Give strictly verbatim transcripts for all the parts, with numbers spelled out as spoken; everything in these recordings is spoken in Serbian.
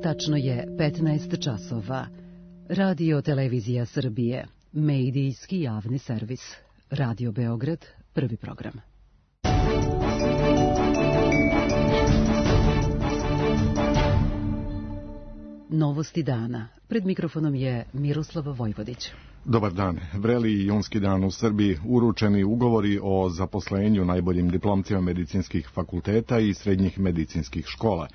Tačno je petnaest časova. Radio Televizija Srbije, medijski javni servis. Radio Beograd, prvi program. Novosti dana. Pred mikrofonom je Miroslav Vojvodić. Dobar dan. Vreli i junski dan u Srbiji, uručeni ugovori o zaposlenju najboljim diplomcima medicinskih fakulteta i srednjih medicinskih škola.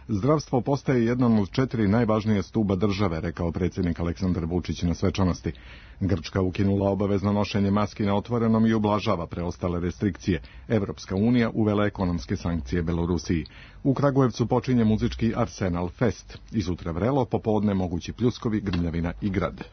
Zdravstvo postaje jedan od četiri najvažnije stuba države, rekao predsjednik Aleksandar Vučić na svečanosti. Grčka ukinula obavezno nošenje maski na otvorenom i ublažava preostale restrikcije. Evropska unija uvela ekonomske sankcije Belorusiji. U Kragujevcu počinje muzički Arsenal Fest. I sutra vrelo, popodne mogući pljuskovi, grmljavina i grad.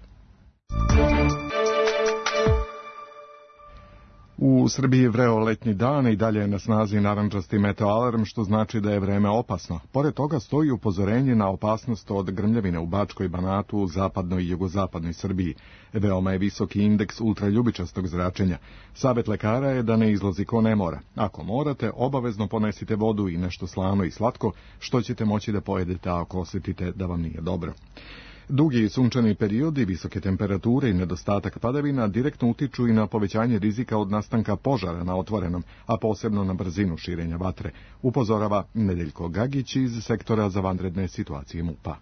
U Srbiji vreo letnji dan i dalje je na snazi narandžasti meteoalarm, što znači da je vreme opasno. Pored toga stoji upozorenje na opasnost od grmljavine u Bačkoj, Banatu, zapadnoj i jugozapadnoj Srbiji. Veoma je visoki indeks ultraljubičastog zračenja. Savet lekara je da ne izlazi ko ne mora. Ako morate, obavezno ponesite vodu i nešto slano i slatko, što ćete moći da pojedete ako osjetite da vam nije dobro. Dugi i sunčani periodi, visoke temperature i nedostatak padavina direktno utiču i na povećanje rizika od nastanka požara na otvorenom, a posebno na brzinu širenja vatre, upozorava Nedeljko Gagić iz sektora za vanredne situacije MUP-a.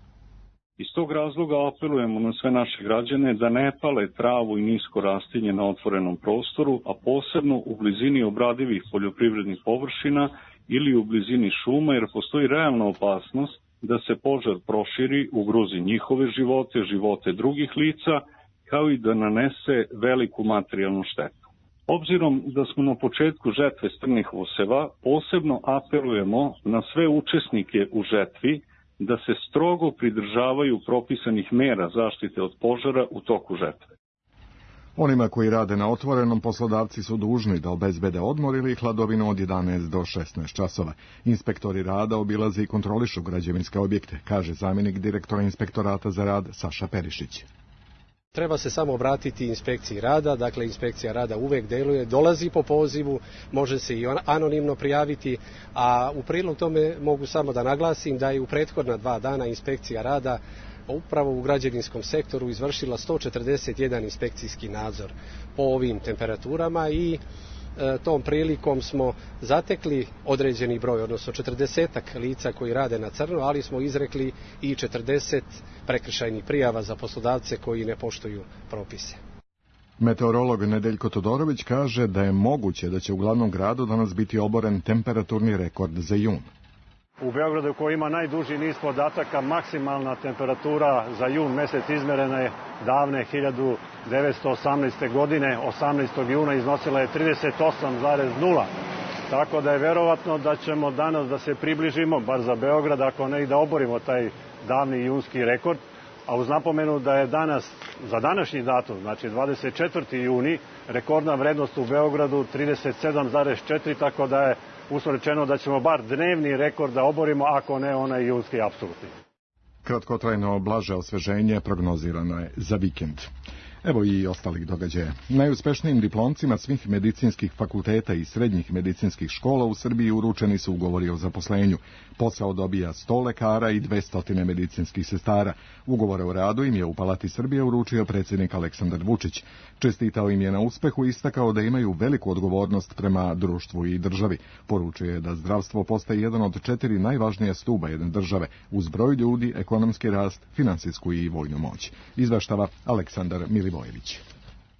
Iz tog razloga apelujemo na sve naše građane da ne pale travu i nisko rastinje na otvorenom prostoru, a posebno u blizini obradivih poljoprivrednih površina ili u blizini šuma, jer postoji realna opasnost da se požar proširi, ugrozi njihove živote, živote drugih lica, kao i da nanese veliku materijalnu štetu. Obzirom da smo na početku žetve strnih useva, posebno apelujemo na sve učesnike u žetvi da se strogo pridržavaju propisanih mera zaštite od požara u toku žetve. Onima koji rade na otvorenom, poslodavci su dužni da obezbede odmor ili hladovinu od jedanaest do šesnaest časova. Inspektori rada obilaze i kontrolišu građevinske objekte, kaže zamjenik direktora Inspektorata za rad Saša Perišić. Treba se samo obratiti inspekciji rada, dakle inspekcija rada uvek deluje, dolazi po pozivu, može se i anonimno prijaviti, a u prilog tome mogu samo da naglasim da je u prethodna dva dana inspekcija rada upravo u građevinskom sektoru izvršila sto četrdeset jedan inspekcijski nadzor po ovim temperaturama i e, tom prilikom smo zatekli određeni broj, odnosno četrdesetak lica koji rade na crno, ali smo izrekli i četrdeset prekršajnih prijava za poslodavce koji ne poštuju propise. Meteorolog Nedeljko Todorović kaže da je moguće da će u glavnom gradu danas biti oboren temperaturni rekord za jun. U Beogradu, koji ima najduži niz podataka, maksimalna temperatura za jun mesec izmerena je davne hiljadu devetsto osamnaeste. godine, osamnaestog juna iznosila je trideset osam zarez nula. Tako da je verovatno da ćemo danas da se približimo, bar za Beograd, ako ne i da oborimo taj davni junski rekord. A uz napomenu da je danas, za današnji datum, znači dvadeset četvrti juni, rekordna vrednost u Beogradu trideset sedam zarez četiri, tako da je uslovno da ćemo bar dnevni rekord da oborimo, ako ne onaj junski apsolutni. Kratkotrajno blaže osveženje prognozirano je za vikend. Evo i ostalih događaja. Najuspešnijim diplomcima svih medicinskih fakulteta i srednjih medicinskih škola u Srbiji uručeni su ugovori o zaposlenju. Posao dobija sto lekara i dvesta medicinskih sestara. Ugovore o radu im je u Palati Srbije uručio predsjednik Aleksandar Vučić. Čestitao im je na uspehu i istakao da imaju veliku odgovornost prema društvu i državi. Poručio je da zdravstvo postaje jedan od četiri najvažnija stuba jedne države, uz broj ljudi, ekonomski rast, finansijsku i vojnu moć. Izveštava Aleksandar Milivojević.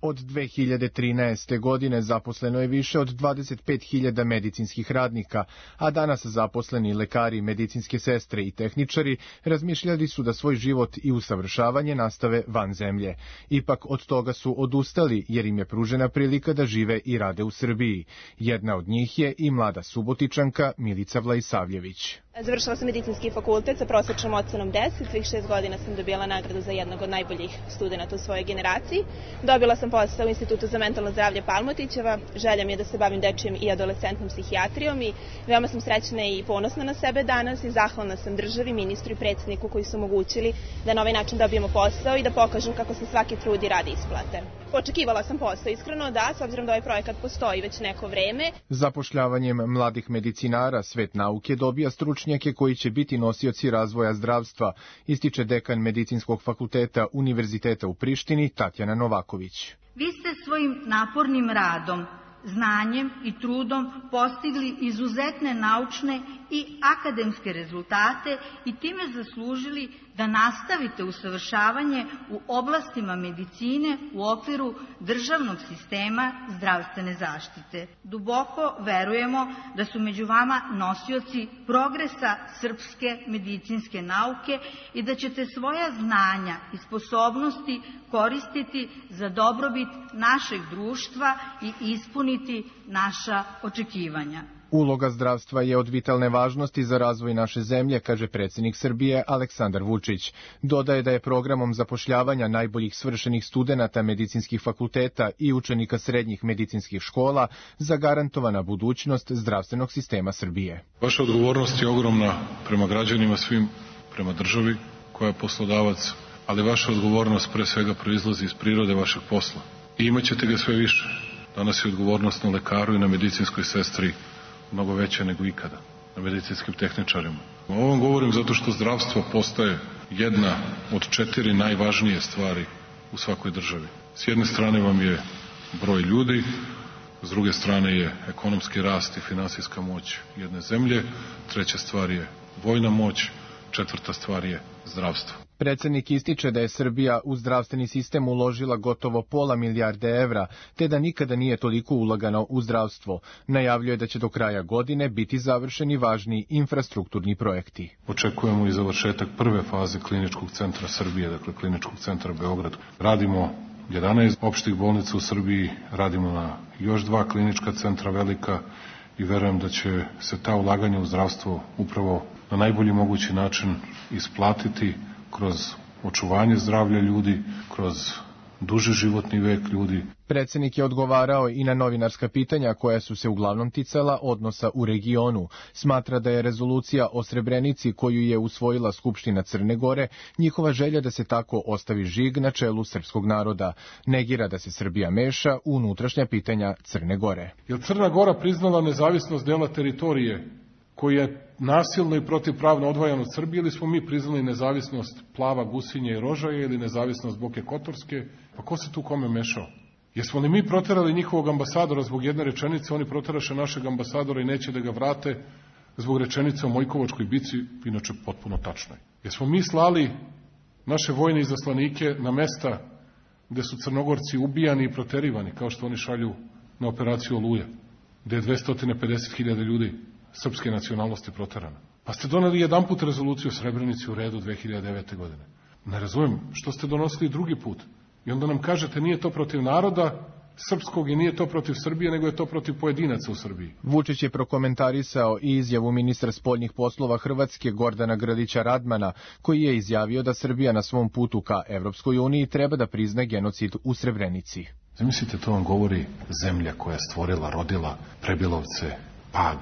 Od dve hiljade trinaeste. godine zaposleno je više od dvadeset pet hiljada medicinskih radnika, a danas zaposleni lekari, medicinske sestre i tehničari razmišljali su da svoj život i usavršavanje nastave van zemlje. Ipak od toga su odustali jer im je pružena prilika da žive i rade u Srbiji. Jedna od njih je i mlada Subotičanka Milica Vlajsavljević. Završila sam medicinski fakultet sa prosječnom ocenom deset, svih šest godina sam dobila nagradu za jednog od najboljih studenta u svojoj generaciji. Dobila sam posao u Institutu za mentalno zdravlje Palmotićeva, želja mi je da se bavim dečijom i adolescentnom psihijatrijom i veoma sam srećna i ponosna na sebe danas i zahvalna sam državi, ministru i predsjedniku koji su omogućili da na ovaj način dobijemo posao i da pokažem kako se svaki trud i rad isplate. Očekivala sam posao, iskreno, da, s obzirom da ovaj projekat postoji već neko vreme. Zapošljavanjem mladih medicinara svet nauke dobija stručnjake koji će biti nosioci razvoja zdravstva, ističe dekan Medicinskog fakulteta Univerziteta u Prištini Tatjana Novaković. Vi ste svojim napornim radom, znanjem i trudom postigli izuzetne naučne i akademske rezultate i time zaslužili da nastavite usavršavanje u oblastima medicine u okviru državnog sistema zdravstvene zaštite. Duboko verujemo da su među vama nosioci progresa srpske medicinske nauke i da ćete svoja znanja i sposobnosti koristiti za dobrobit našeg društva i ispuniti naša očekivanja. Uloga zdravstva je od vitalne važnosti za razvoj naše zemlje, kaže predsjednik Srbije Aleksandar Vučić. Dodaje da je programom zapošljavanja najboljih svršenih studenata medicinskih fakulteta i učenika srednjih medicinskih škola zagarantovana budućnost zdravstvenog sistema Srbije. Vaša odgovornost je ogromna prema građanima svim, prema državi koja je poslodavac, ali vaša odgovornost pre svega proizlazi iz prirode vašeg posla. I imat ćete ga sve više. Danas je odgovornost na lekaru i na medicinskoj sestri mnogo veće nego ikada, na medicinskim tehničarima. O ovom govorim zato što zdravstvo postaje jedna od četiri najvažnije stvari u svakoj državi. S jedne strane vam je broj ljudi, s druge strane je ekonomski rast i finansijska moć jedne zemlje, treća stvar je vojna moć, četvrta stvar je zdravstvo. Predsjednik ističe da je Srbija u zdravstveni sistem uložila gotovo pola milijarde evra, te da nikada nije toliko ulagano u zdravstvo. Najavljuje da će do kraja godine biti završeni važni infrastrukturni projekti. Očekujemo i završetak prve faze kliničkog centra Srbije, dakle kliničkog centra Beograd. Radimo jedanaest opštih bolnica u Srbiji, radimo na još dva klinička centra velika i verujem da će se ta ulaganja u zdravstvo upravo na najbolji mogući način isplatiti kroz očuvanje zdravlja ljudi, kroz duži životni vek ljudi. Predsjednik je odgovarao i na novinarska pitanja koja su se uglavnom ticala odnosa u regionu. Smatra da je rezolucija o Srebrenici koju je usvojila Skupština Crne Gore njihova želja da se tako ostavi žig na čelu srpskog naroda. Negira da se Srbija meša u unutrašnja pitanja Crne Gore. Je Crna Gora priznala nezavisnost dela teritorije koji je nasilno i protivpravno odvajan od Srbije, ili smo mi priznali nezavisnost Plava, Gusinje i Rožaje ili nezavisnost Boke Kotorske? Pa ko se tu kome mešao? Jesmo li mi proterali njihovog ambasadora zbog jedne rečenice, oni proteraše našeg ambasadora i neće da ga vrate zbog rečenice o Mojkovačkoj bici, inače potpuno tačno je. Jesmo mi slali naše vojne izaslanike na mesta gde su Crnogorci ubijani i proterivani, kao što oni šalju na operaciju Oluja, gde je dvesta pedeset hiljada ljudi srpske nacionalnosti proterana. Pa ste doneli jedanput rezoluciju o Srebrenici u redu dve hiljade devete. godine. Ne razumijem, što ste donosili drugi put? I onda nam kažete nije to protiv naroda srpskog i nije to protiv Srbije, nego je to protiv pojedinaca u Srbiji. Vučić je prokomentarisao i izjavu ministra spoljnih poslova Hrvatske Gordana Grlića Radmana, koji je izjavio da Srbija na svom putu ka Evropskoj uniji treba da prizna genocid u Srebrenici. Zamislite, to vam govori zemlja koja je stvorila, rodila Prebilovce, Pag,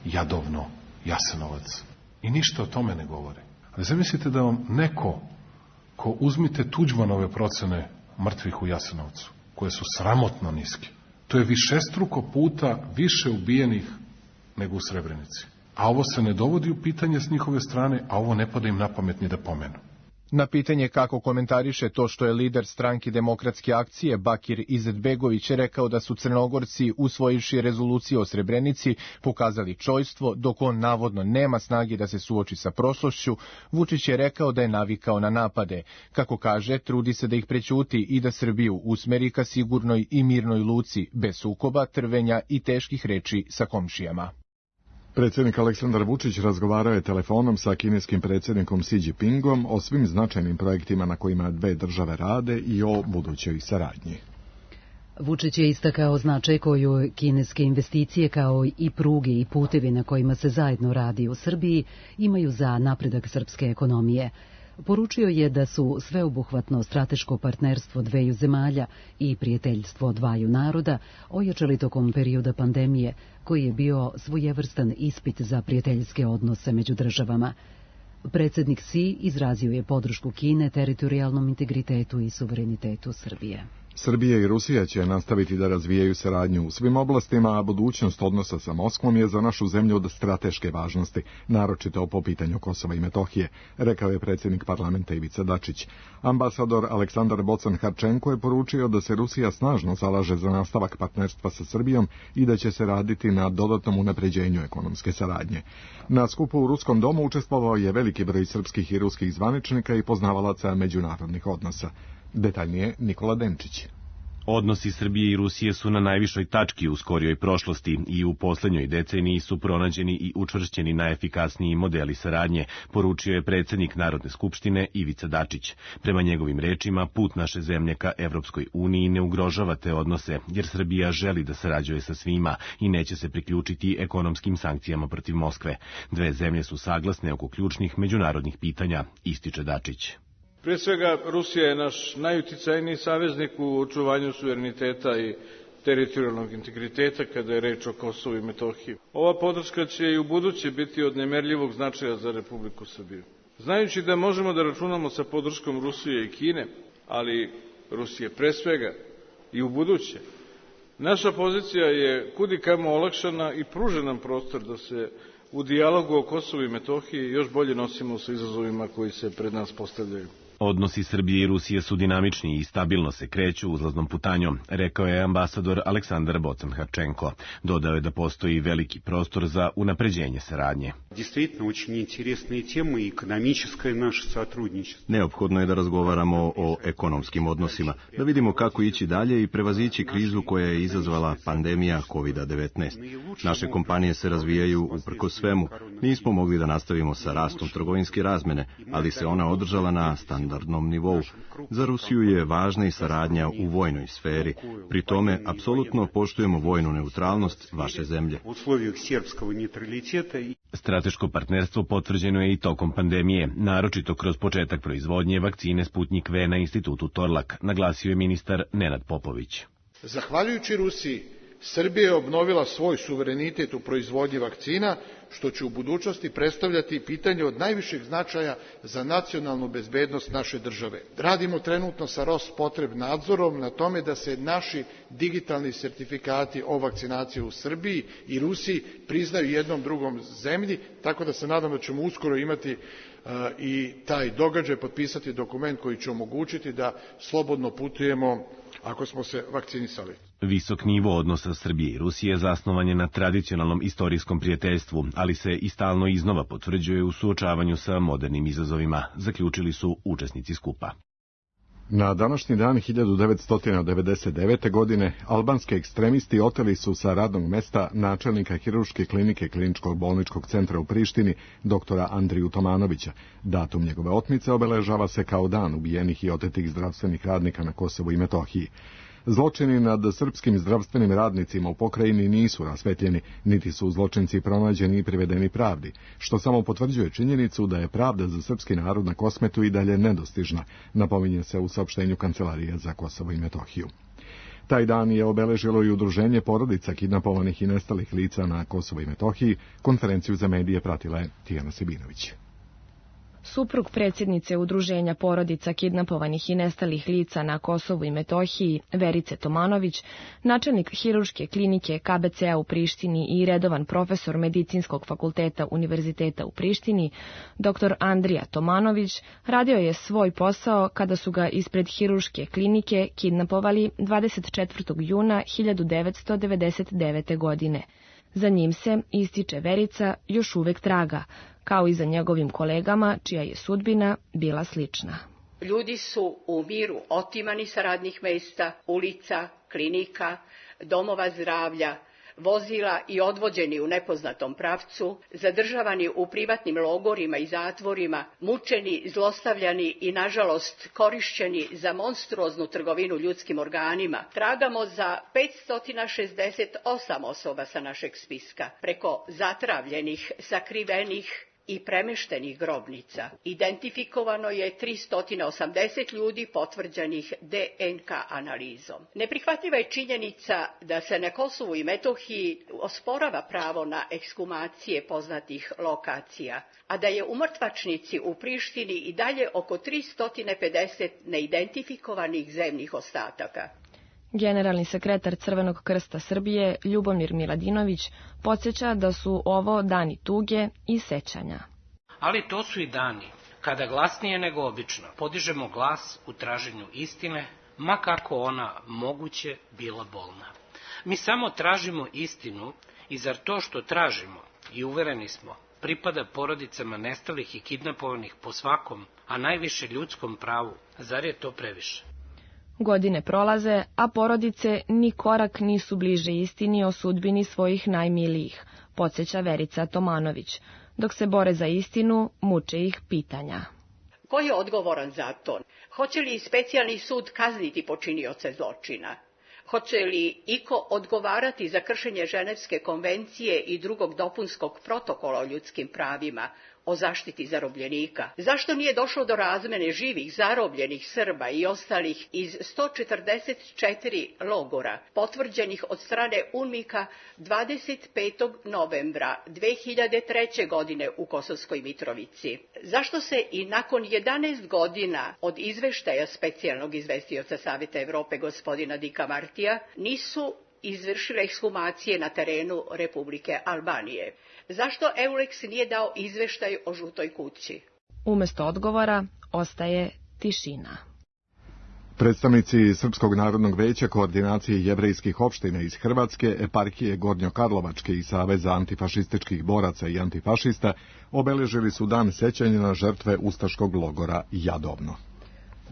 Jadovno, Jasenovac. I ništa o tome ne govore. Ali zamislite da vam neko ko uzmite Tuđmanove procene mrtvih u Jasenovcu, koje su sramotno niske, to je višestruko puta više ubijenih nego u Srebrenici. A ovo se ne dovodi u pitanje s njihove strane, a ovo ne pada im na pamet ni da pomenu. Na pitanje kako komentariše to što je lider stranke Demokratske akcije Bakir Izetbegović rekao da su Crnogorci usvojivši rezoluciju o Srebrenici pokazali čojstvo, dok on navodno nema snage da se suoči sa prošlošću, Vučić je rekao da je navikao na napade. Kako kaže, trudi se da ih prećuti i da Srbiju usmeri ka sigurnoj i mirnoj luci, bez sukoba, trvenja i teških reči sa komšijama. Predsjednik Aleksandar Vučić razgovarao je telefonom sa kineskim predsjednikom Xi Jinpingom o svim značajnim projektima na kojima dve države rade i o budućoj saradnji. Vučić je istakao značaj koju kineske investicije kao i pruge i putevi na kojima se zajedno radi u Srbiji imaju za napredak srpske ekonomije. Poručio je da su sveobuhvatno strateško partnerstvo dveju zemalja i prijateljstvo dvaju naroda ojačali tokom perioda pandemije, koji je bio svojevrstan ispit za prijateljske odnose među državama. Predsjednik Xi izrazio je podršku Kine teritorijalnom integritetu i suverenitetu Srbije. Srbija i Rusija će nastaviti da razvijaju saradnju u svim oblastima, a budućnost odnosa sa Moskvom je za našu zemlju od strateške važnosti, naročito po pitanju Kosova i Metohije, rekao je predsjednik parlamenta Ivica Dačić. Ambasador Aleksandar Bocan-Harčenko je poručio da se Rusija snažno zalaže za nastavak partnerstva sa Srbijom i da će se raditi na dodatnom unapređenju ekonomske saradnje. Na skupu u Ruskom domu učestvovao je veliki broj srpskih i ruskih zvaničnika i poznavalaca međunarodnih odnosa. Detaljnije Nikola Denčić. Odnosi Srbije i Rusije su na najvišoj tački u skorijoj prošlosti i u posljednjoj deceniji su pronađeni i učvršćeni najefikasniji modeli saradnje, poručio je predsjednik Narodne skupštine Ivica Dačić. Prema njegovim rečima, put naše zemlje ka Evropskoj uniji ne ugrožava te odnose, jer Srbija želi da sarađuje sa svima i neće se priključiti ekonomskim sankcijama protiv Moskve. Dve zemlje su saglasne oko ključnih međunarodnih pitanja, ističe Dačić. Prije svega, Rusija je naš najuticajniji saveznik u očuvanju suvereniteta i teritorijalnog integriteta kada je reč o Kosovu i Metohiji. Ova podrška će i u buduće biti od nemerljivog značaja za Republiku Srbiju. Znajući da možemo da računamo sa podrškom Rusije i Kine, ali Rusije pre svega i u buduće, naša pozicija je kudikamo olakšana i pruža nam prostor da se u dijalogu o Kosovu i Metohiji još bolje nosimo sa izazovima koji se pred nas postavljaju. Odnosi Srbije i Rusije su dinamični i stabilno se kreću uzlaznom putanjom, rekao je ambasador Aleksandar Bocan-Harčenko. Dodao je da postoji veliki prostor za unapređenje saradnje. Neophodno je da razgovaramo o ekonomskim odnosima, da vidimo kako ići dalje i prevazići krizu koja je izazvala pandemija kovid devetnaest. Naše kompanije se razvijaju uprkos svemu. Nismo mogli da nastavimo sa rastom trgovinske razmene, ali se ona održala na standardnom nivou. Za Rusiju je važna i saradnja u vojnoj sferi. Pri tome, apsolutno poštujemo vojnu neutralnost vaše zemlje. Strateško partnerstvo potvrđeno je i tokom pandemije, naročito kroz početak proizvodnje vakcine Sputnjik V na institutu Torlak, naglasio je ministar Nenad Popović. Zahvaljujući Rusiji, Srbija je obnovila svoj suverenitet u proizvodnji vakcina, što će u budućnosti predstavljati pitanje od najvišeg značaja za nacionalnu bezbednost naše države. Radimo trenutno sa Rospotrebnadzorom na tome da se naši digitalni sertifikati o vakcinaciji u Srbiji i Rusiji priznaju jednom drugom zemlji, tako da se nadam da ćemo uskoro imati uh, i taj događaj, potpisati dokument koji će omogućiti da slobodno putujemo ako smo se vakcinisali. Visok nivo odnosa Srbije i Rusije zasnovan je na tradicionalnom istorijskom prijateljstvu, ali se i stalno iznova potvrđuje u suočavanju sa modernim izazovima, zaključili su učesnici skupa. Na današnji dan hiljadu devetsto devedeset devete. godine albanski ekstremisti oteli su sa radnog mesta načelnika hirurške klinike Kliničkog bolničkog centra u Prištini, doktora Andriju Tomanovića. Datum njegove otmice obeležava se kao dan ubijenih i otetih zdravstvenih radnika na Kosovu i Metohiji. Zločini nad srpskim zdravstvenim radnicima u pokrajini nisu rasvetljeni, niti su zločinci pronađeni i privedeni pravdi, što samo potvrđuje činjenicu da je pravda za srpski narod na Kosmetu i dalje nedostižna, napominje se u saopštenju Kancelarije za Kosovo i Metohiju. Taj dan je obeležilo i udruženje porodica kidnapovanih i nestalih lica na Kosovo i Metohiji. Konferenciju za medije pratila je Tijana Sibinović. Suprug predsjednice udruženja porodica kidnapovanih i nestalih lica na Kosovu i Metohiji, Verice Tomanović, načelnik hirurške klinike K B C-a u Prištini i redovan profesor Medicinskog fakulteta Univerziteta u Prištini, doktor Andrija Tomanović, radio je svoj posao kada su ga ispred hirurške klinike kidnapovali dvadeset četvrtog juna hiljadu devetsto devedeset devete. godine. Za njim se, ističe Verica, još uvek traga, kao i za njegovim kolegama, čija je sudbina bila slična. Ljudi su u miru otimani sa radnih mesta, ulica, klinika, domova zdravlja, vozila i odvođeni u nepoznatom pravcu, zadržavani u privatnim logorima i zatvorima, mučeni, zlostavljani i, nažalost, korišćeni za monstruoznu trgovinu ljudskim organima. Tragamo za petsto šezdeset osam osoba sa našeg spiska, preko zatravljenih, sakrivenih i premeštenih grobnica. Identifikovano je tristo osamdeset ljudi potvrđenih D N K analizom. Neprihvatljiva je činjenica da se na Kosovu i Metohiji osporava pravo na ekshumacije poznatih lokacija, a da je u mrtvačnici u Prištini i dalje oko tristo pedeset neidentifikovanih zemnih ostataka. Generalni sekretar Crvenog krsta Srbije, Ljubomir Miladinović, podsjeća da su ovo dani tuge i sećanja. Ali to su i dani kada glasnije nego obično podižemo glas u traženju istine, ma kako ona moguće bila bolna. Mi samo tražimo istinu i zar to što tražimo, i uvereni smo, pripada porodicama nestalih i kidnapovanih po svakom, a najviše ljudskom pravu, zar je to previše? Godine prolaze, a porodice ni korak nisu bliže istini o sudbini svojih najmilijih, podsjeća Verica Tomanović. Dok se bore za istinu, muče ih pitanja. Ko je odgovoran za to? Hoće li specijalni sud kazniti počinioce zločina? Hoće li iko odgovarati za kršenje Ženevske konvencije i drugog dopunskog protokola o ljudskim pravima, o zaštiti zarobljenika? Zašto nije došlo do razmene živih zarobljenih Srba i ostalih iz sto četrdeset četiri logora, potvrđenih od strane UNMIK-a dvadeset petog novembra dve hiljade treće. godine u Kosovskoj Mitrovici? Zašto se i nakon jedanaest godina od izveštaja specijalnog izvestioca Saveta Evrope gospodina Dika Martija nisu izvršile ekshumacije na terenu Republike Albanije? Zašto Euleks nije dao izveštaj o žutoj kući? Umesto odgovora ostaje tišina. Predstavnici Srpskog narodnog veća koordinacije jevrejskih opština iz Hrvatske, eparhije Gornjokarlovačke i Saveza antifašističkih boraca i antifašista obeležili su dan sećanja na žrtve ustaškog logora Jadovno.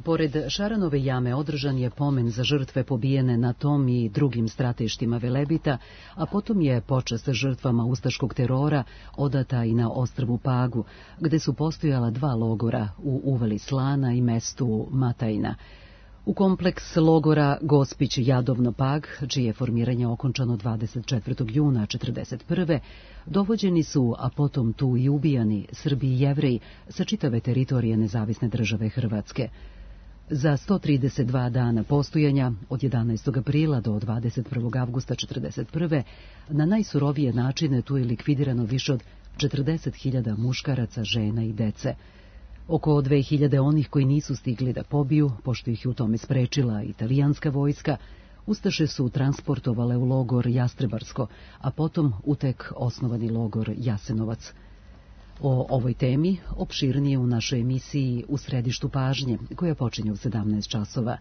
Pored Šaranove jame održan je pomen za žrtve pobijene na tom i drugim stratištima Velebita, a potom je počast žrtvama ustaškog terora odata i na ostrvu Pagu, gde su postojala dva logora u uvali Slana i mestu Matajna. U kompleks logora Gospić Jadovno Pag, čije je formiranje okončano dvadeset četvrtog juna četrdeset prve. dovođeni su, a potom tu i ubijani, Srbi i Jevreji sa čitave teritorije nezavisne države Hrvatske. Za sto trideset dva dana postojanja, od jedanaestog aprila do dvadeset prvog avgusta četrdeset prve. na najsurovije načine tu je likvidirano više od četrdeset hiljada muškaraca, žena i dece. Oko dve hiljade onih koji nisu stigli da pobiju, pošto ih je u tome sprečila italijanska vojska, ustaše su transportovale u logor Jastrebarsko, a potom u tek osnovani logor Jasenovac. O ovoj temi opširnije u našoj emisiji U središtu pažnje, koja počinje u sedamnaest časova.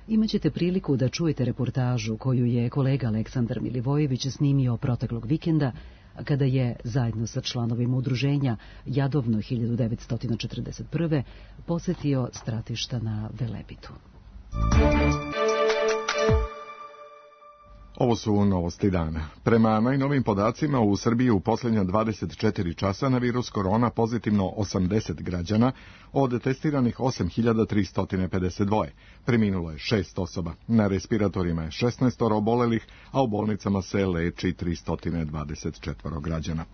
Imaćete priliku da čujete reportažu koju je kolega Aleksandar Milivojević snimio proteklog vikenda, kada je, zajedno sa članovima udruženja Jadovno hiljadu devetsto četrdeset prve. posetio stratišta na Velebitu. Ovo su novosti dana. Prema najnovim podacima, u Srbiji u posljednja dvadeset četiri časa na virus korona pozitivno osamdeset građana, od testiranih osam hiljada tristo pedeset dva. Preminulo je šest osoba. Na respiratorima je šesnaest obolelih, a u bolnicama se leči tristo dvadeset četiri građana.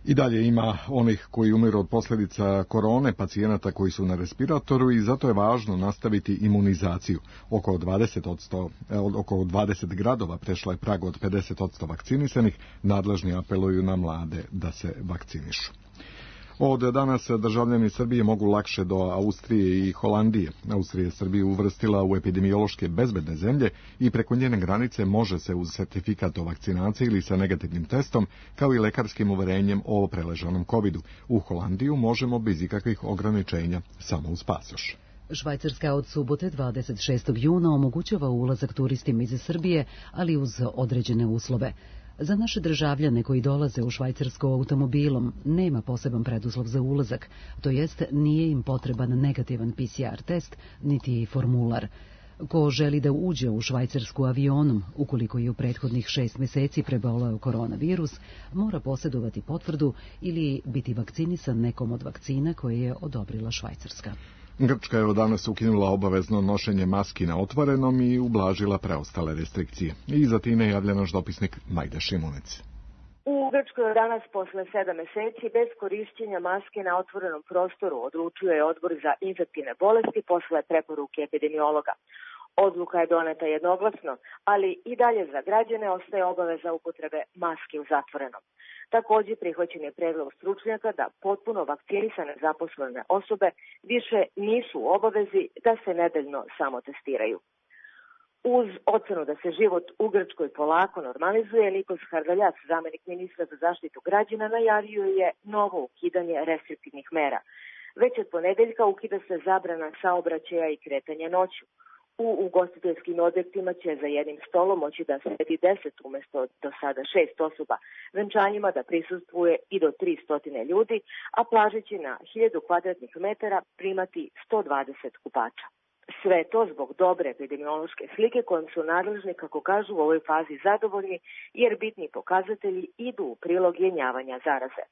I dalje ima onih koji umiru od posljedica korone, pacijenata koji su na respiratoru, i zato je važno nastaviti imunizaciju. Oko dvadeset odsto, oko dvadeset gradova prešla je prag od pedeset odsto vakcinisanih, nadležni apeluju na mlade da se vakcinišu. Od danas državljani Srbije mogu lakše do Austrije i Holandije. Austrija je Srbiju uvrstila u epidemiološke bezbedne zemlje i preko njene granice može se uz sertifikat o vakcinaciji ili sa negativnim testom, kao i lekarskim uverenjem o preležanom kovidu. U Holandiju možemo bez ikakvih ograničenja, samo uz pasoš. Švajcarska od subote dvadeset šestog juna omogućava ulazak turistima iz Srbije, ali uz određene uslove. Za naše državljane koji dolaze u Švajcarsko automobilom nema poseban preduslov za ulazak, to jest nije im potreban negativan P C R test niti formular. Ko želi da uđe u Švajcarsku avionom, ukoliko je u prethodnih šest meseci preboleo koronavirus, mora posjedovati potvrdu ili biti vakcinisan nekom od vakcina koje je odobrila Švajcarska. Grčka je od danas ukinula obavezno nošenje maski na otvorenom i ublažila preostale restrikcije. I za time javlja naš dopisnik Majda Šimunec. U Grčkoj od danas posle sedam meseci bez korišćenja maske na otvorenom prostoru odlučuje Odbor za infektivne bolesti posle preporuke epidemiologa. Odluka je doneta jednoglasno, ali i dalje za građane ostaje obaveza upotrebe maske u zatvorenom. Takođe prihvaćen je predlog stručnjaka da potpuno vakcinisane zaposlene osobe više nisu u obavezi da se nedeljno samotestiraju. Uz ocenu da se život u Grčkoj polako normalizuje, Nikos Hardaljas, zamenik ministra za zaštitu građana, najavio je novo ukidanje restriktivnih mera. Već od ponedeljka ukida se zabrana saobraćaja i kretanja noću. U ugostiteljskim objektima će za jednim stolom moći da sedi deset umesto do sada šest osoba, venčanjima da prisustvuje i do tristo ljudi, a plaže će na hiljadu kvadratnih metara primati sto dvadeset kupača. Sve to zbog dobre epidemiološke slike kojom su nadležni, kako kažu, u ovoj fazi zadovoljni, jer bitni pokazatelji idu u prilog jenjavanja zaraze.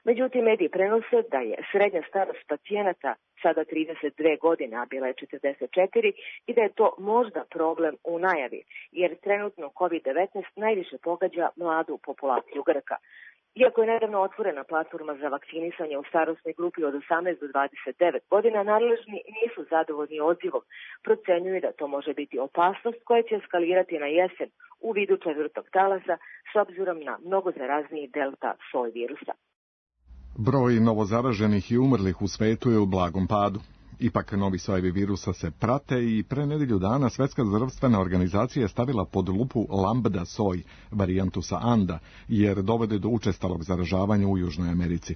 Međutim, mediji prenose da je srednja starost pacijenata sada trideset dve godine, a bila je četrdeset četiri, i da je to možda problem u najavi, jer trenutno kovid devetnaest najviše pogađa mladu populaciju Grka. Iako je nedavno otvorena platforma za vakcinisanje u starosnoj grupi od osamnaest do dvadeset devet godina, nadležni nisu zadovoljni odzivom. Procenjuju da to može biti opasnost koja će eskalirati na jesen u vidu četvrtog talasa s obzirom na mnogo zarazniji delta soj virusa. Broj novozaraženih i umrlih u svetu je u blagom padu. Ipak novi sojevi virusa se prate i pre nedelju dana Svetska zdravstvena organizacija je stavila pod lupu lambda soj, varijantu sa Anda, jer dovode do učestalog zaražavanja u Južnoj Americi.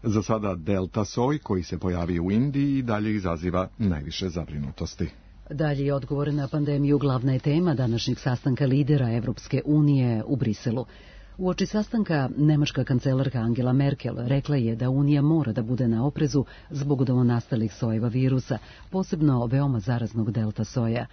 Za sada delta soj, koji se pojavio u Indiji, i dalje izaziva najviše zabrinutosti. Dalji odgovor na pandemiju glavna je tema današnjeg sastanka lidera Evropske unije u Briselu. Uoči sastanka, nemačka kancelarka Angela Merkel rekla je da Unija mora da bude na oprezu zbog novonastalih sojeva virusa, posebno veoma zaraznog delta soja.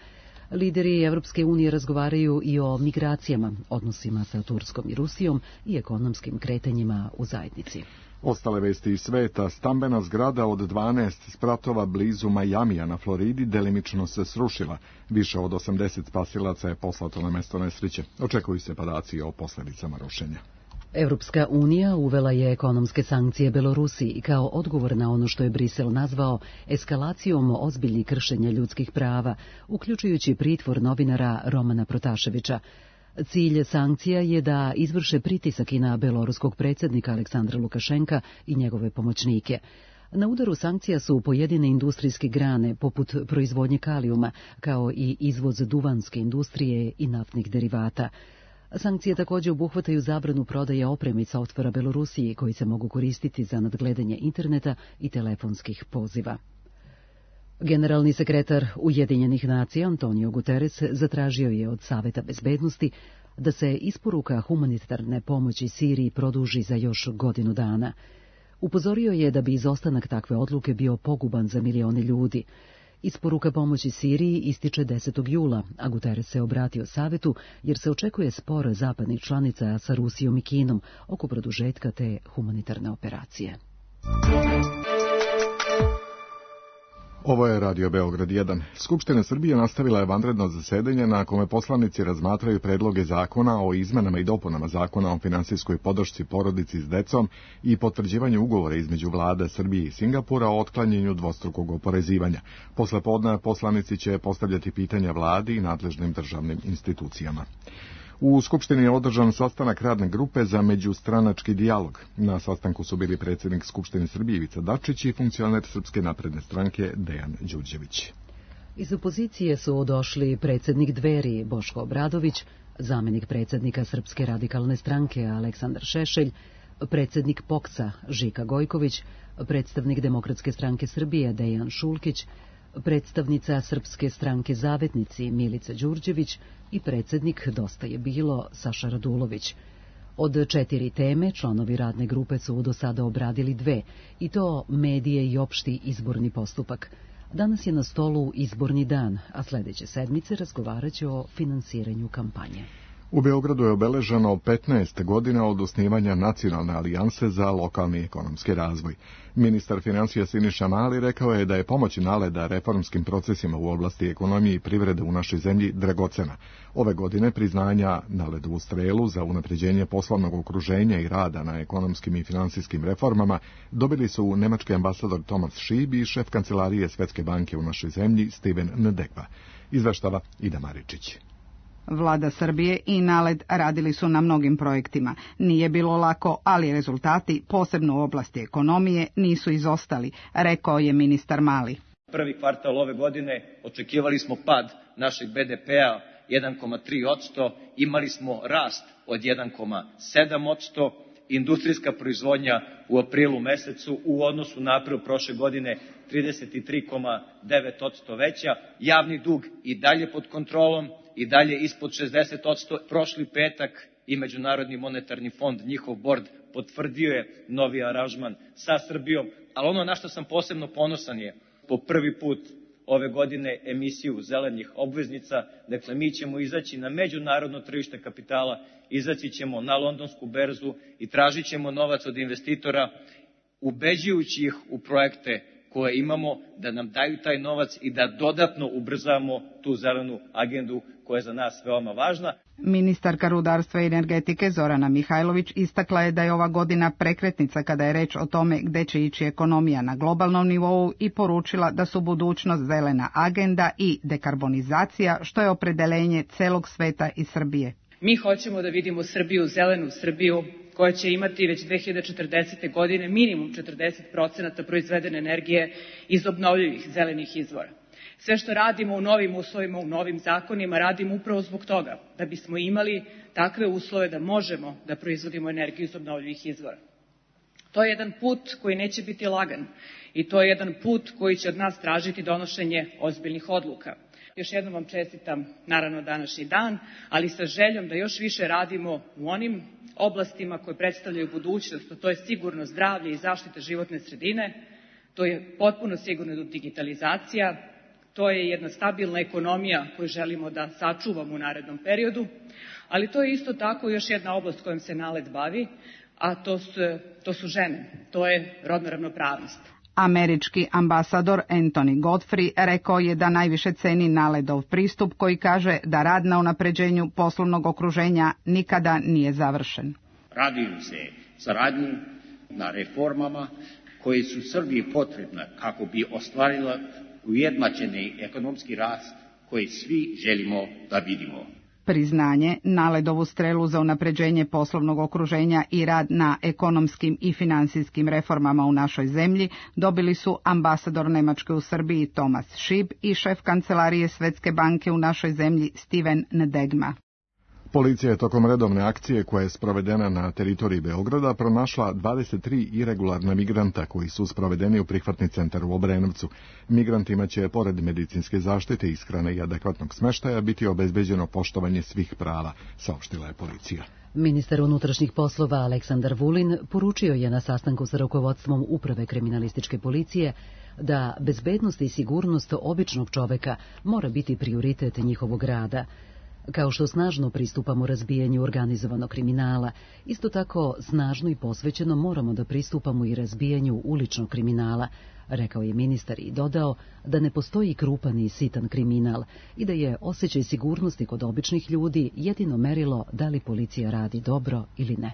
Lideri Evropske unije razgovaraju i o migracijama, odnosima sa Turskom i Rusijom i ekonomskim kretanjima u zajednici. Ostale vesti iz sveta: stambena zgrada od dvanaest spratova blizu Majamija na Floridi delimično se srušila. Više od osamdeset spasilaca je poslato na mesto nesreće. Očekuju se podaci o posljedicama rušenja. Evropska unija uvela je ekonomske sankcije Belorusiji kao odgovor na ono što je Brisel nazvao eskalacijom ozbiljnih kršenja ljudskih prava, uključujući pritvor novinara Romana Protaševića. Cilj sankcija je da izvrše pritisak i na beloruskog predsjednika Aleksandra Lukašenka i njegove pomoćnike. Na udaru sankcija su pojedine industrijske grane, poput proizvodnje kalijuma, kao i izvoz duvanske industrije i naftnih derivata. Sankcije također obuhvataju zabranu prodaje opreme i softvera Belorusiji koji se mogu koristiti za nadgledanje interneta i telefonskih poziva. Generalni sekretar Ujedinjenih nacija Antonio Guterres zatražio je od Saveta bezbednosti da se isporuka humanitarne pomoći Siriji produži za još godinu dana. Upozorio je da bi izostanak takve odluke bio poguban za milione ljudi. Isporuka pomoći Siriji ističe desetog jula, a Guterres se obratio Savetu jer se očekuje spor zapadnih članica sa Rusijom i Kinom oko produžetka te humanitarne operacije. Ovo je Radio Beograd jedan. Skupština Srbije nastavila je vanredno zasedanje na kome poslanici razmatraju predloge zakona o izmenama i dopunama zakona o finansijskoj podršci porodici s decom i potvrđivanju ugovora između vlade Srbije i Singapura o otklanjanju dvostrukog oporezivanja. Posle podne poslanici će postavljati pitanja vladi i nadležnim državnim institucijama. U Skupštini je održan sastanak radne grupe za međustranački dijalog. Na sastanku su bili predsjednik Skupštine Srbije Ivica Dačić i funkcioner Srpske napredne stranke Dejan Đurđević. Iz opozicije su došli predsjednik Dveri Boško Obradović, zamenik predsjednika Srpske radikalne stranke Aleksandar Šešelj, predsjednik Poksa Žika Gojković, predstavnik Demokratske stranke Srbije Dejan Šulkić, predstavnica Srpske stranke Zavetnici Milica Đurđević i predsjednik Dosta je bilo Saša Radulović. Od četiri teme članovi radne grupe su do sada obradili dve, i to medije i opšti izborni postupak. Danas je na stolu izborni dan, a sljedeće sedmice razgovarat će o finansiranju kampanje. U Beogradu je obeleženo petnaest godina od osnivanja Nacionalne alijanse za lokalni ekonomski razvoj. Ministar financija Siniša Mali rekao je da je pomoć NALED-a reformskim procesima u oblasti ekonomije i privrede u našoj zemlji dragocena. Ove godine priznanja NALED-u strelu za unapređenje poslovnog okruženja i rada na ekonomskim i finansijskim reformama dobili su nemački ambasador Thomas Schieb i šef kancelarije Svetske banke u našoj zemlji Steven Ndekva. Izveštava Ida Maričić. Vlada Srbije i NALED radili su na mnogim projektima. Nije bilo lako, ali rezultati, posebno u oblasti ekonomije, nisu izostali, rekao je ministar Mali. Prvi kvartal ove godine očekivali smo pad našeg be de pea jedan zarez tri posto, imali smo rast od jedan zarez sedam posto, industrijska proizvodnja u aprilu mesecu u odnosu na april prošle godine trideset tri zarez devet posto veća, javni dug i dalje pod kontrolom, i dalje ispod šezdeset posto. Prošli petak i Međunarodni monetarni fond, njihov bord, potvrdio je novi aranžman sa Srbijom, ali ono na što sam posebno ponosan je po prvi put ove godine emisiju zelenih obveznica. Dakle, mi ćemo izaći na međunarodno tržište kapitala, izaći ćemo na londonsku berzu i tražit ćemo novac od investitora, ubeđujući ih u projekte koje imamo, da nam daju taj novac i da dodatno ubrzamo tu zelenu agendu koja je za nas veoma važna. Ministarka rudarstva i energetike Zorana Mihajlović istakla je da je ova godina prekretnica kada je reč o tome gde će ići ekonomija na globalnom nivou i poručila da su budućnost zelena agenda i dekarbonizacija, što je opredeljenje celog sveta i Srbije. Mi hoćemo da vidimo Srbiju, zelenu Srbiju, koja će imati već dve hiljade četrdesete. godine minimum četrdeset procenata proizvedene energije iz obnovljivih zelenih izvora. Sve što radimo u novim uslovima, u novim zakonima, radimo upravo zbog toga, da bismo imali takve uslove da možemo da proizvodimo energiju iz obnovljivih izvora. To je jedan put koji neće biti lagan i to je jedan put koji će od nas tražiti donošenje ozbiljnih odluka. Još jednom vam čestitam, naravno, današnji dan, ali sa željom da još više radimo u onim oblastima koje predstavljaju budućnost, a to je sigurno zdravlje i zaštita životne sredine, to je potpuno sigurno digitalizacija, to je jedna stabilna ekonomija koju želimo da sačuvamo u narednom periodu, ali to je isto tako još jedna oblast kojom se NALED bavi, a to su, to su žene, to je rodna ravnopravnost. Američki ambasador Anthony Godfrey rekao je da najviše ceni NALED-ov pristup koji kaže da rad na unapređenju poslovnog okruženja nikada nije završen. Radi se saradnju na reformama koje su Srbiji potrebne kako bi ostvarila ujednačeni ekonomski rast koji svi želimo da vidimo. Priznanje, NALED-ovu strelu za unapređenje poslovnog okruženja i rad na ekonomskim i finansijskim reformama u našoj zemlji dobili su ambasador Nemačke u Srbiji Thomas Schieb i šef kancelarije Svetske banke u našoj zemlji Steven Ndegma. Policija je tokom redovne akcije koja je sprovedena na teritoriji Beograda pronašla dvadeset tri iregularna migranta koji su sprovedeni u prihvatni centar u Obrenovcu. Migrantima će, pored medicinske zaštite, ishrane i adekvatnog smeštaja, biti obezbeđeno poštovanje svih prava, saopštila je policija. Ministar unutrašnjih poslova Aleksandar Vulin poručio je na sastanku sa rukovodstvom Uprave kriminalističke policije da bezbednost i sigurnost običnog čoveka mora biti prioritet njihovog rada. Kao što snažno pristupamo razbijanju organizovanog kriminala, isto tako snažno i posvećeno moramo da pristupamo i razbijanju uličnog kriminala, rekao je ministar i dodao da ne postoji krupan i sitan kriminal i da je osjećaj sigurnosti kod običnih ljudi jedino merilo da li policija radi dobro ili ne.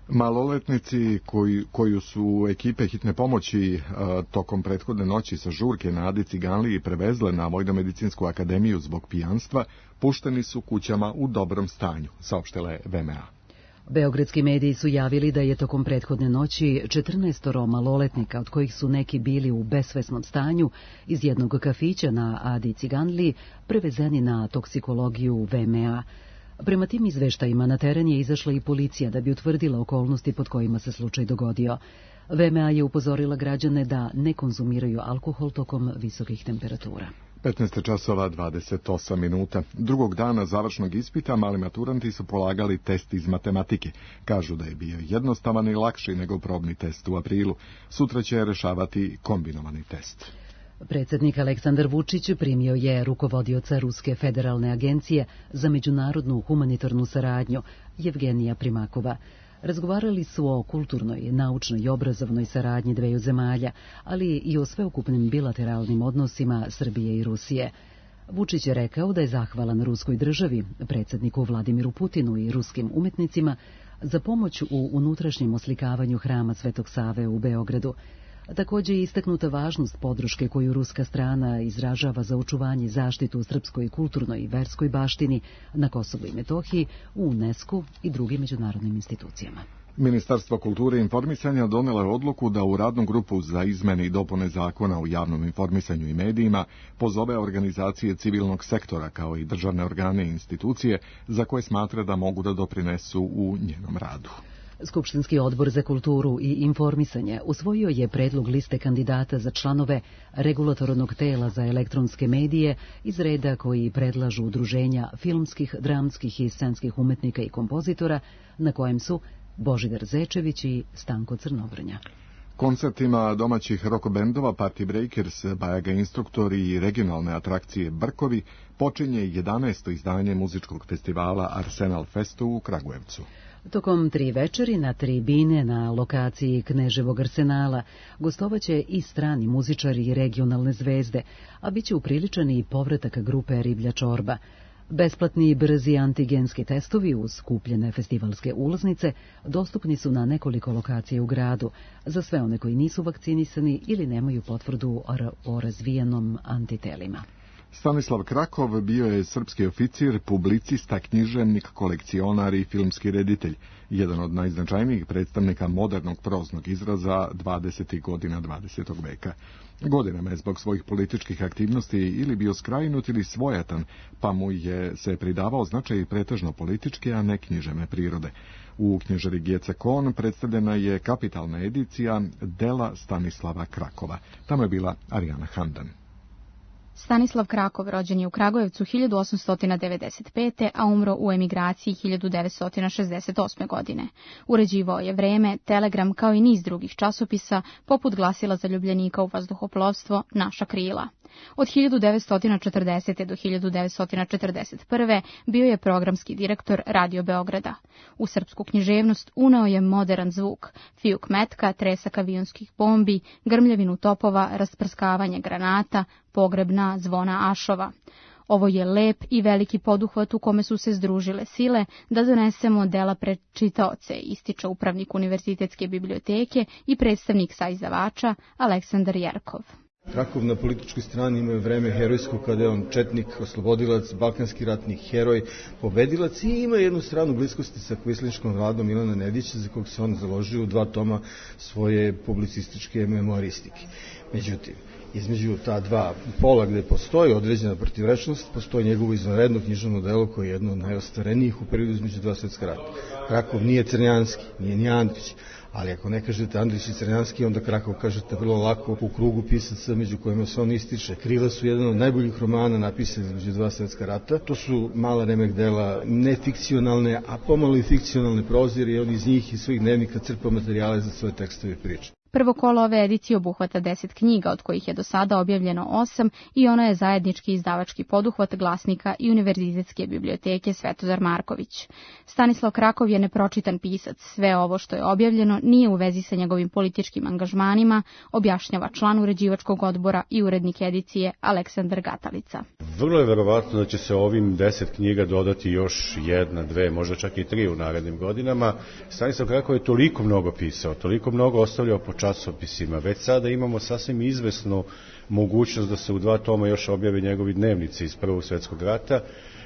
Maloletnici koji, koju su ekipe hitne pomoći a, tokom prethodne noći sa žurke na Adi Ciganliji prevezle na Vojnomedicinsku akademiju zbog pijanstva, pušteni su kućama u dobrom stanju, saopštila je V M A. Beogradski mediji su javili da je tokom prethodne noći četrnaestoro maloletnika, od kojih su neki bili u besvesnom stanju, iz jednog kafića na Adi Ciganliji prevezeni na toksikologiju V M A. Prema tim izveštajima na teren je izašla i policija da bi utvrdila okolnosti pod kojima se slučaj dogodio. V M A je upozorila građane da ne konzumiraju alkohol tokom visokih temperatura. petnaest časova dvadeset osam minuta. Drugog dana završnog ispita mali maturanti su polagali test iz matematike. Kažu da je bio jednostavan i lakši nego probni test u aprilu. Sutra će rešavati kombinovani test. Predsjednik Aleksandar Vučić primio je rukovodioca Ruske federalne agencije za međunarodnu humanitarnu saradnju Jevgenija Primakova. Razgovarali su o kulturnoj, naučnoj i obrazovnoj saradnji dveju zemalja, ali i o sveukupnim bilateralnim odnosima Srbije i Rusije. Vučić je rekao da je zahvalan ruskoj državi, predsjedniku Vladimiru Putinu i ruskim umetnicima za pomoć u unutrašnjem oslikavanju hrama Svetog Save u Beogradu. Također je istaknuta važnost podrške koju ruska strana izražava za očuvanje i zaštitu srpskoj kulturnoj i verskoj baštini na Kosovu i Metohiji, u UNESCO i drugim međunarodnim institucijama. Ministarstvo kulture i informisanja donelo je odluku da u radnu grupu za izmene i dopune zakona o javnom informisanju i medijima pozove organizacije civilnog sektora kao i državne organe i institucije za koje smatra da mogu da doprinesu u njenom radu. Skupštinski odbor za kulturu i informisanje usvojio je predlog liste kandidata za članove regulatornog tela za elektronske medije iz reda koji predlažu udruženja filmskih, dramskih i scenskih umetnika i kompozitora, na kojem su Božidar Zečević i Stanko Crnobrnja. Koncertima domaćih rock bendova Party Breakers, Bajaga Instruktori i regionalne atrakcije Brkovi počinje jedanaesto izdanje muzičkog festivala Arsenal Festu u Kragujevcu. Tokom tri večeri na tribine na lokaciji Kneževog arsenala gostovaće i strani muzičari i regionalne zvezde, a bit će upriličan i povratak grupe Riblja čorba. Besplatni i brzi antigenski testovi uz kupljene festivalske ulaznice dostupni su na nekoliko lokacija u gradu za sve one koji nisu vakcinisani ili nemaju potvrdu o razvijenom antitelima. Stanislav Krakov bio je srpski oficir, publicista, književnik, kolekcionar i filmski reditelj, jedan od najznačajnijih predstavnika modernog proznog izraza dvadesetih godina dvadesetog veka. Godinama je zbog svojih političkih aktivnosti ili bio skrajnut ili svojatan, pa mu je se pridavao značaj pretežno političke, a ne književne prirode. U knjižari Gjeca Kon predstavljena je kapitalna edicija dela Stanislava Krakova. Tamo je bila Arijana Handan. Stanislav Krakov rođen je u Kragujevcu hiljadu osamsto devedeset pete. a umro u emigraciji hiljadu devetsto šezdeset osme. godine. Uređivao je Vreme, Telegram kao i niz drugih časopisa, poput Glasila zaljubljenika u vazduhoplovstvo, Naša krila. Od hiljadu devetsto četrdesete. do hiljadu devetsto četrdeset prve. bio je programski direktor Radio Beograda. U srpsku književnost uneo je modern zvuk, fijuk metka, tresak avionskih bombi, grmljavinu topova, rasprskavanje granata, pogrebna zvona ašova. Ovo je lep i veliki poduhvat u kome su se združile sile da donesemo dela pred čitaoce, ističe upravnik Univerzitetske biblioteke i predstavnik saizdavača Aleksandar Jerkov. Krakov na političkoj strani ima Vreme herojsko, kada je on četnik, oslobodilac, balkanski ratni heroj, pobedilac, i ima jednu stranu bliskosti sa kvislinškom radom Milana Nedića, za kog se on založio u dva toma svoje publicističke memoristike. Međutim, između ta dva pola gde postoji određena protivrečnost, postoji njegovo izvanredno književno delo koje je jedno od najostvarenijih u periodu između dva svetska rata. Krakov nije Crnjanski, nije ni Andrić, ali ako ne kažete Andrić i Crnjanski, onda Krakov kažete vrlo lako u krugu pisaca među kojima se on ističe. Krila su jedan od najboljih romana napisani između dva svetska rata. To su mala remek dela, nefikcionalne, a pomalo i fikcionalne prozire, i on iz njih i svojih dnevnika crpa materijale za svoje tekstove i priče. Prvo kolo ove edicije obuhvata deset knjiga, od kojih je do sada objavljeno osam, i ona je zajednički izdavački poduhvat Glasnika i Univerzitetske biblioteke Svetozar Marković. Stanislav Krakov je nepročitan pisac. Sve ovo što je objavljeno nije u vezi sa njegovim političkim angažmanima, objašnjava član uređivačkog odbora i urednik edicije Aleksandar Gatalica. Vrlo je verovatno da će se ovim deset knjiga dodati još jedna, dve, možda čak i tri u narednim godinama. Stanislav Krakov je toliko mnogo pisao, toliko mnogo ostavljao po časopisima. Već sada imamo sasvim izvesnu mogućnost da se u dva toma još objave njegovi dnevnici iz Prvog svjetskog rata,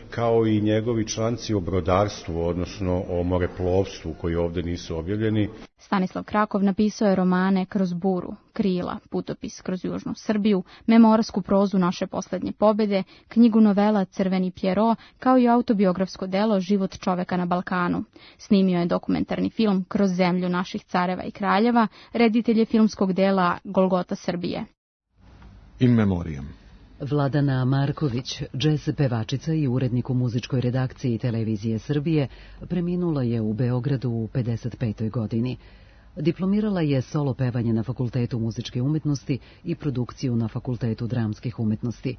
kao i njegovi članci o brodarstvu, odnosno o moreplovstvu, koji ovde nisu objavljeni. Stanislav Krakov napisao je romane Kroz buru, Krila, Putopis kroz južnu Srbiju, memoarsku prozu Naše poslednje pobede, knjigu novela Crveni Pjero, kao i autobiografsko delo Život čoveka na Balkanu. Snimio je dokumentarni film Kroz zemlju naših careva i kraljeva, reditelj je filmskog dela Golgota Srbije. In memoriam. Vladana Marković, džez pevačica i urednik u muzičkoj redakciji Televizije Srbije, preminula je u Beogradu u pedeset petoj godini. Diplomirala je solo pevanje na Fakultetu muzičke umetnosti i produkciju na Fakultetu dramskih umetnosti.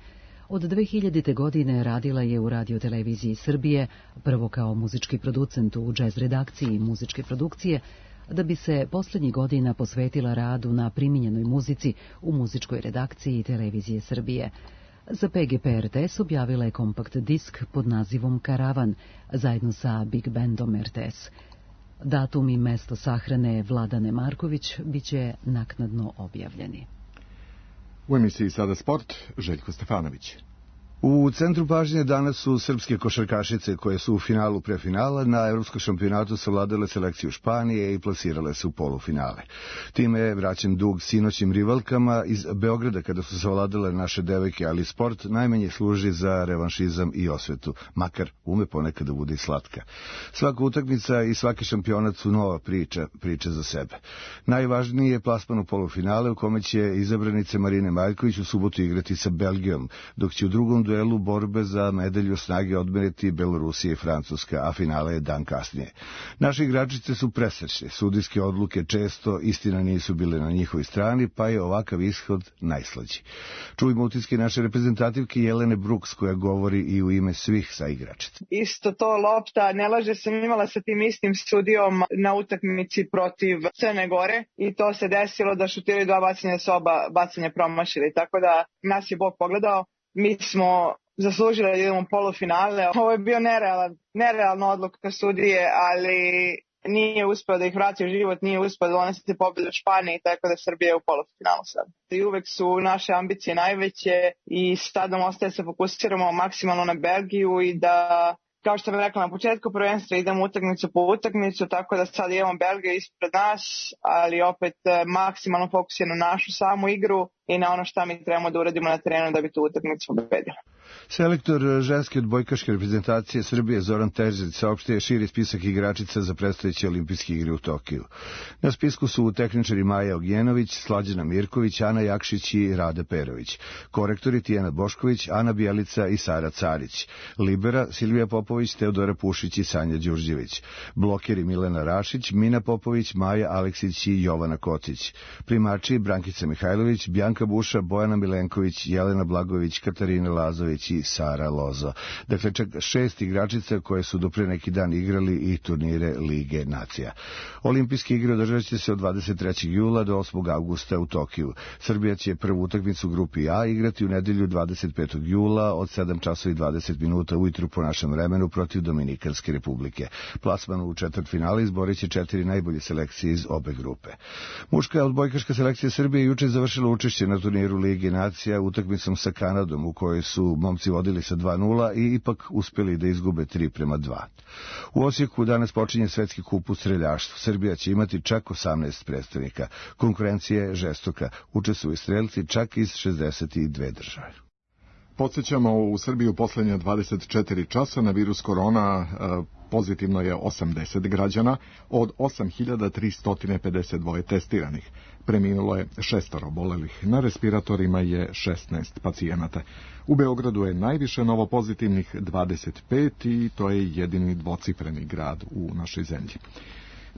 Od dve hiljadite. godine radila je u Radioteleviziji Srbije, prvo kao muzički producent u džez redakciji muzičke produkcije, da bi se posljednjih godina posvetila radu na primijenjenoj muzici u muzičkoj redakciji Televizije Srbije. Za P G P R T S objavila je kompakt disk pod nazivom Karavan, zajedno sa Big Bandom R T S. Datum i mesto sahrane Vladane Marković biće naknadno objavljeni. U emisiji Sada sport, Željko Stefanović. U centru pažnje danas su srpske košarkašice koje su u finalu prefinala na evropskom šampionatu savladale selekciju Španije i plasirale se u polufinale. Time je vraćen dug sinoćim rivalkama iz Beograda kada su savladale naše devojke, ali sport najmanje služi za revanšizam i osvetu, makar ume ponekad da bude i slatka. Svaka utakmica i svaki šampionat su nova priča, priča za sebe. Najvažniji je plasman u polufinale u kome će izabranice Marine Maljković u subotu igrati sa Belgijom, dok će u drugom duelu borbe za medalju snage odmeriti Belorusija i Francuska, a finale je dan kasnije. Naše igračice su presrećne, sudijske odluke često, istina, nisu bile na njihovoj strani, pa je ovakav ishod najslađi. Čujmo utiske naše reprezentativke Jelene Brooks, koja govori i u ime svih sa igračica. Isto to lopta, ne laže, sam imala sa tim istim sudijom na utakmici protiv Crne Gore i to se desilo da šutiraju dva bacanja, s oba bacanja promašili, tako da nas je Bog pogledao. Mi smo zaslužili da idemo u polufinale. Ovo je bio nerealan, nerealna odluka sudije, ali nije uspeo da ih vrati u život, nije uspeo da donese pobedu u Španiji, tako da Srbija je u polufinalu sad. I uvek su naše ambicije najveće i sad nam ostaje se fokusiramo maksimalno na Belgiju i da, kao što sam rekla na početku prvenstva, idemo utakmicu po utakmicu, tako da sad imamo Belgiju ispred nas, ali opet maksimalno fokus je na našu samu igru i na ono šta mi trebamo da uradimo na terenu da bi tu utakmicu pobedili. Selektor ženske odbojkaške reprezentacije Srbije Zoran Terzić saopštio širi spisak igračica za predstojeće olimpijske igre u Tokiju. Na spisku su tehničari Maja Ognjenović, Slađana Mirković, Ana Jakšić i Rada Perović. Korektori Tijana Bošković, Ana Bjelica i Sara Carić. Libera Silvija Popović, Teodora Pušić i Sanja Đurđević. Blokeri Milena Rašić, Mina Popović, Maja Aleksić i Jovana Kotić. Primači Brankica Mihajlović, Bjanka Buša, Bojana Milenković, Jelena Blagović, Katarina Lazović i Sara Lozo. Dakle, čak šest igračica koje su do pre neki dan igrali i turnire Lige nacija. Olimpijske igre održat će se od dvadeset trećeg jula do osmog avgusta u Tokiju. Srbija će prvu utakmicu u grupi A igrati u nedelju dvadeset petog jula od sedam časova i dvadeset minuta ujutru po našem vremenu protiv Dominikanske republike. Plasman u četvrtfinale izborit će četiri najbolje selekcije iz obe grupe. Muška odbojkaška selekcija Srbije juče završila učešće na turniru Lige nacija utakmicom sa Kanadom, u kojoj su momci vodili sa dva nula i ipak uspeli da izgube tri prema dva. U Osijeku danas počinje svetski kup u streljaštvu. Srbija će imati čak osamnaest predstavnika. Konkurencija je žestoka. Učestvuju strelci čak iz šezdeset dve države. Podsjećamo, u Srbiji u poslednje dvadeset četiri časa na virus korona pozitivno je osamdeset građana od osam hiljada tristo pedeset dva testiranih. Preminulo je šestoro obolelih. Na respiratorima je šesnaest pacijenata. U Beogradu je najviše novopozitivnih dvadeset pet i to je jedini dvocifreni grad u našoj zemlji.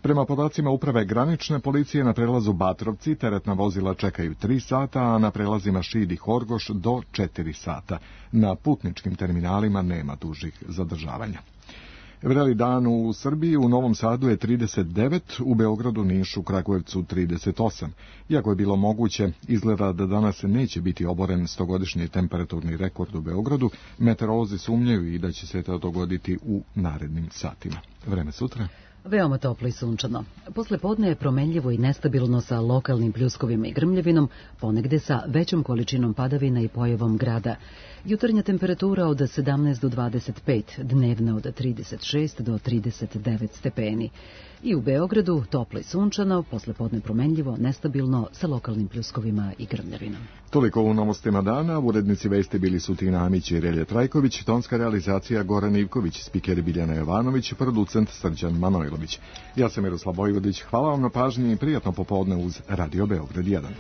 Prema podacima Uprave granične policije na prelazu Batrovci teretna vozila čekaju tri sata, a na prelazima Šid i Horgoš do četiri sata. Na putničkim terminalima nema dužih zadržavanja. Vreli dan u Srbiji, u Novom Sadu je trideset devet, u Beogradu, Nišu, Kragujevcu trideset osam. Iako je bilo moguće, izgleda da danas neće biti oboren stogodišnji temperaturni rekord u Beogradu, meteorolozi sumnjaju i da će se to dogoditi u narednim satima. Vreme sutra. Veoma toplo i sunčano. Posle podne je promenljivo i nestabilno sa lokalnim pljuskovima i grmljavinom, ponegde sa većom količinom padavina i pojavom grada. Jutarnja temperatura od sedamnaest do dvadeset pet, dnevna od trideset šest do trideset devet stepeni. I u Beogradu toplo i sunčano, posle podne promenljivo, nestabilno sa lokalnim pljuskovima i grmljavinom. Toliko u novostima dana. Urednici vesti bili su Tina Amić i Relje Trajković, tonska realizacija Goran Ivković, spikeri Biljana Jovanović, producent Srđan Manojlović. Ja sam Miroslav Vojvodić, hvala vam na pažnji i prijatno popodne uz Radio Beograd jedan.